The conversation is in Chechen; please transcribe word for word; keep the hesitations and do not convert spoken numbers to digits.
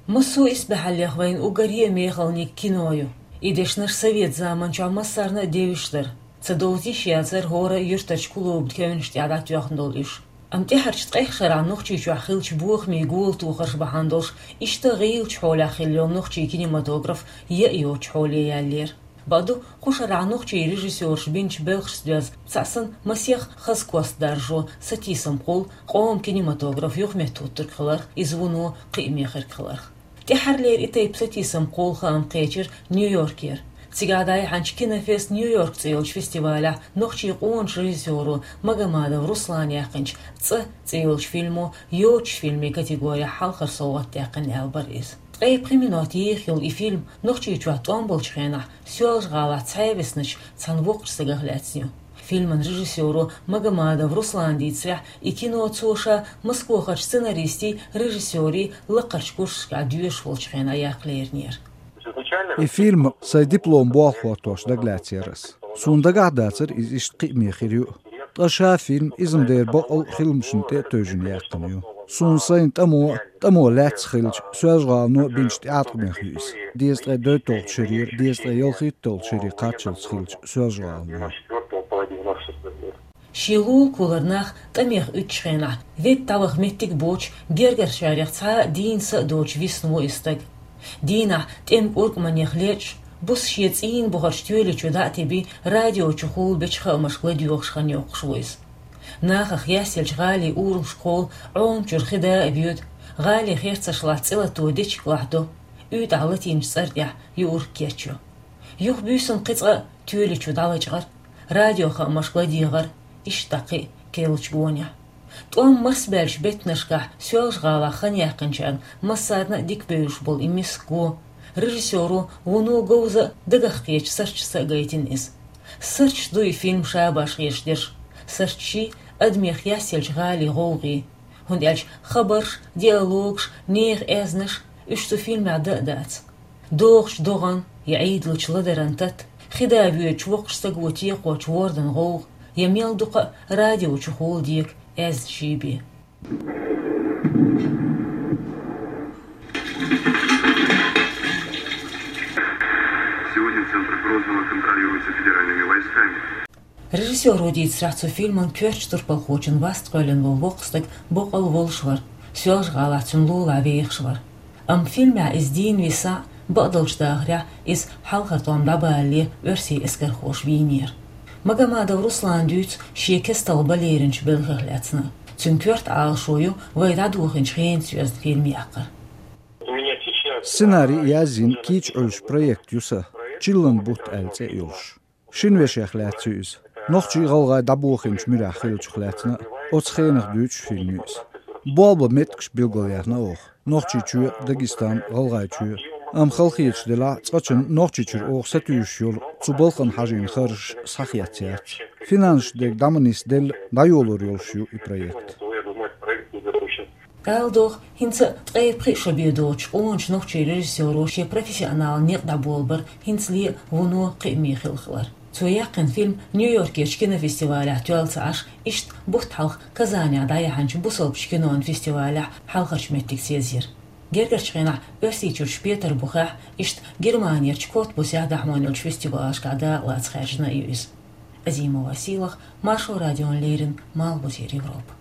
Массо а исбаьхьаллех вайна уггаре а мехала ник кино ю. И дешнаш совет заманчохь массарна а девзаш дара. Ца довза йиш яцара хӀора юьртарчу клубан кевнаш тӀехь дӀатоьхна долу уьш. Амма тӀаьхьарчу ткъех шарахь Нохчийчохь хиллачу бохамийн гултохарш бахьана долуш, иштта гӀийлачу хьолехь хилла йолу нохчийн кинематограф яа йоцучу хьоле яьллера. Бакъду, кху шарахь нохчийн режиссёрша бинчу белхашца доьзна, цхьа санна масех хаза кост даржо, сатийсам кхуллу къоман кинематограф юхаметтахӀуттург хиларх, иза вуно кхиаме хирг хиларх. ТӀаьххьарлера и тайпа сатийсам кхуллу хаам кхечира Нью-Йоркера. Цигахь дӀаяьхьначу «Кинофест Нью-Йорк» цӀе йолчу фестивалехь нохчийн къоначу режиссёро Магомадов Руслана яьккхинчу «ЦӀа» цӀе йолчу фильмо йоцучу фильмийн категорехь хьалхара совгӀат даьккхина аьлла бара иза. Ткъе пхи минот еха йолу и фильм Нохчийчохь тӀом болчу хенахь Соьлжа-ГӀалахь цхьаьна висначу цхьана воккхачу стагах лаьцна ю. Фильман режиссёро Магомадов Руслана дийцарехь, и кино цо ша Москвахарчу сценаристийн, режиссёрийн лакхарчу курсашкахь доьшуш волчу хенахь яккха леринера. И фильм сайн диплом болх хӀоттош дагалаьцнера ас. Суна дагахь а дацара иза иштта кхиаме хир ю. Ткъа ша фильм иза-м дера бакъал а хиламашна тӀе а тевжина яьккхина ю. Суна сайна тӀамо а, тӀамо лаьцна хиллачу Соьлжа-ГӀалано а бинчу тӀеӀаткъамех ю иза. Дезткъе дейтталгӀачу шарера, дезткъе ялхитталгӀачу шаре кхаччалц хиллачу Соьлжа-ГӀалано. Шен лулахо лар нах тӀамех уьдучу хенахь, ведда дӀаваха меттиг а боцуш, гергарчарех цхьа а дийна са а доцуш висна ву и стаг. Дийнахь тӀеман кӀуркӀманех лечкъаш, буса шен цӀийнан бухарчу тоьли чу дӀа а тебий, радио чухула бечу хаамашка ладоьгӀуш хан йоккхуш ву иза. Нахах яьсселчу гӀалин урамашкахула Ӏома чуьра хи да а воьду, гӀалин херцаршлахь цӀе латто дечиг лахьдо, уьйтӀахь латийначу цӀара тӀехь юург кечйо. Юха буьйсанна кхин цкъа а тоьли чу дӀалачкъар, радиохаамашка ладегӀар, иштта кхин а керлачу гонехь. ТӀом марсабаьллачу беттанашкахь Соьлжа-ГӀалахь хан яьккхинчарна массарна а дика бевзаш болу и миска го. Режиссёро вуно говза а, дагах кхечу сурташца а гайтина иза. Сурташ ду и фильм шабаш хеташ дерш. Сурташ ю адамех яьсселчу гӀалин гӀовгӀа. ХӀунда аьлча хабарш, диалогаш, нехан аьзнаш, уьш цу фильмехь дан а дац. ДогӀучу догӀан я Ӏийдалучу ладаран тата, хи да воьдучу воккхачу стага текхочу вордан гӀовгӀа, я мел дукха а радио чухула дега аьзнаш бен. Сегодня центр Грозного контролируется федеральными войсками. Режиссёро дийцарехь, цу фильман коьртачу турпалхочун васт кхоьллина волу воккха стаг бакъал волуш вара, Соьлжа-ГӀалахь цуьнан лулахь вехаш вара. Амма фильмехь иза дийна висахь а, бакъдолчу дахарехь иза хьалхара тӀом дӀабалале оьрсийн эскархоша вийнера. Магомадов Руслана дуьйцу шен кестта бан леринчу белхех лаьцна. Цуьнан коьрта Ӏалашо ю вай дӀадохийначу хенаца йоьзна фильм яккхар. Сценарий а язйина кийча Ӏуьллуш проект ю сан, «Чиллан бутт» аьлла цӀе а йолуш. Шина вешех лаьцна ю иза. Нохчий, гӀалгӀай дӀабохийначу муьрехь хиллачух лаьцна а, оцу хенах дуьйцуш фильм ю иза. Болх бан меттигаш билгалъяьхна оха: Нохчийчоь, Дагестан, ГӀалгӀайчоь. Амма халахеташ делахь а, цкъачунна Нохчийчуьра оха сатуьйсуш йолу цу балхана хьажийна харжаш схьахецна яц. Финансаш дерг дӀа ма нисделла, дӀайолор йолуш ю и проект. Ала догӀу, хӀинца а ткъе пхи шо бен доцучу къоначу нохчийн режиссёро шен профессионалан некъ дӀаболабар хӀинцале а вуно кхиаме хилла хилар. Цо яьккхина фильм Нью-Йоркерчу кинофестивалехь тоьлла ца Ӏаш, иштта бутт хьалха Казанехь дӀаяьхьначу бусалбачу кинон фестивалехь хьалхарчу меттигца езйира. Гергарчу хенахь Оьрсийчуьрчу Петарбухехь, иштта Германерчу Котбусехь дӀахьоьнучу фестивалашкахь дакъалаца хаьржина а ю иза. Азимова Сийлаха, Маршо радиона леррина, Малхбузера Европа.